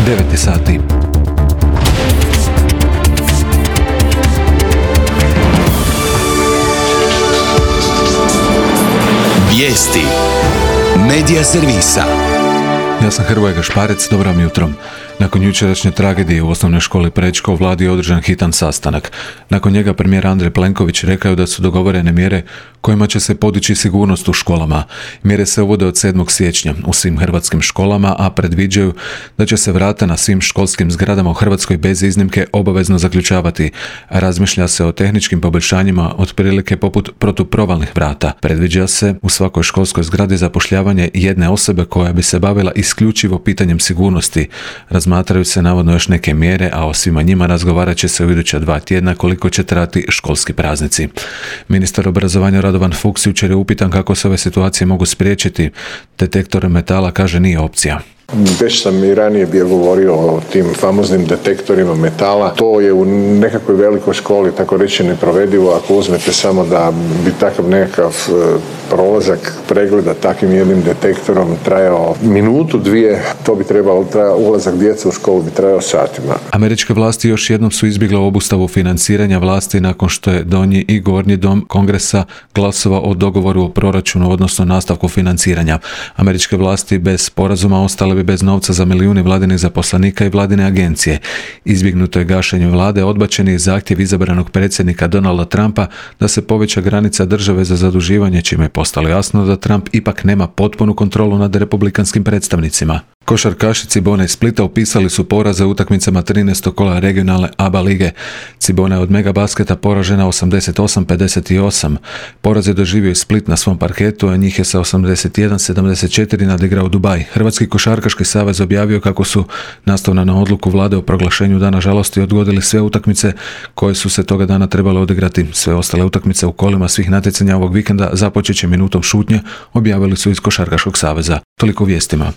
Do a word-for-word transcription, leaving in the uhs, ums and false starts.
devet sati. Vijesti Medija servisa. Ja sam Hrvoje Gašparec, dobro vam jutro. Nakon jučerašnje tragedije u osnovnoj školi Prečko u vladi je održan hitan sastanak. Nakon njega premijer Andrej Plenković rekao da su dogovorene mjere kojima će se podići sigurnost u školama. Mjere se uvode od sedmog siječnja u svim hrvatskim školama, a predviđaju da će se vrata na svim školskim zgradama u Hrvatskoj bez iznimke obavezno zaključavati. Razmišlja se o tehničkim poboljšanjima otprilike poput protuprovalnih vrata. Predviđa se u svakoj školskoj zgradi zapošljavanje jedne osobe koja bi se bavila isključivo pitanjem sigurnosti. Razmatraju se navodno još neke mjere, a o svima njima razgovarat će se u iduća dva tjedna koliko će trajati školski praznici. Ministar obrazovanja Radovan Fuchs jučer je upitan kako se ove situacije mogu spriječiti. Detektor metala, kaže, nije opcija. Već sam i ranije bio govorio o tim famoznim detektorima metala. To je u nekakvoj velikoj školi, tako reći, neprovedivo ako uzmete samo da bi takav nekakav prolazak pregleda takvim jednim detektorom trajao minutu, dvije, to bi trebalo trajao, ulazak djece u školu bi trajao satima. Američke vlasti još jednom su izbjegle obustavu financiranja vlasti nakon što je donji i gornji dom Kongresa glasovao o dogovoru o proračunu, odnosno nastavku financiranja. Američke vlasti bez sporazuma ostale bi bez novca za milijuni vladinih zaposlenika i vladine agencije. Izbjegnuto je gašenje vlade, odbačen je zahtjev izabranog predsjednika Donalda Trumpa da se poveća granica države za zaduživanje, čime je postalo jasno da Trump ipak nema potpunu kontrolu nad republikanskim predstavnicima. Košarkaši Cibone iz Splita upisali su poraze u utakmicama trinaestog kola regionalne A B A lige. Cibona je od Megabasketa poražena osamdeset osam pedeset osam. Poraz je doživio i Split na svom parketu, a njih je sa osamdeset jedan sedamdeset četiri nadigrao Dubaj. Hrvatski košarkaški savez objavio kako su, nastavno na odluku vlade o proglašenju dana žalosti, odgodili sve utakmice koje su se toga dana trebale odigrati. Sve ostale utakmice u kolima svih natjecanja ovog vikenda započet će minutom šutnje, objavili su iz Košarkaškog saveza. Toliko vijestima.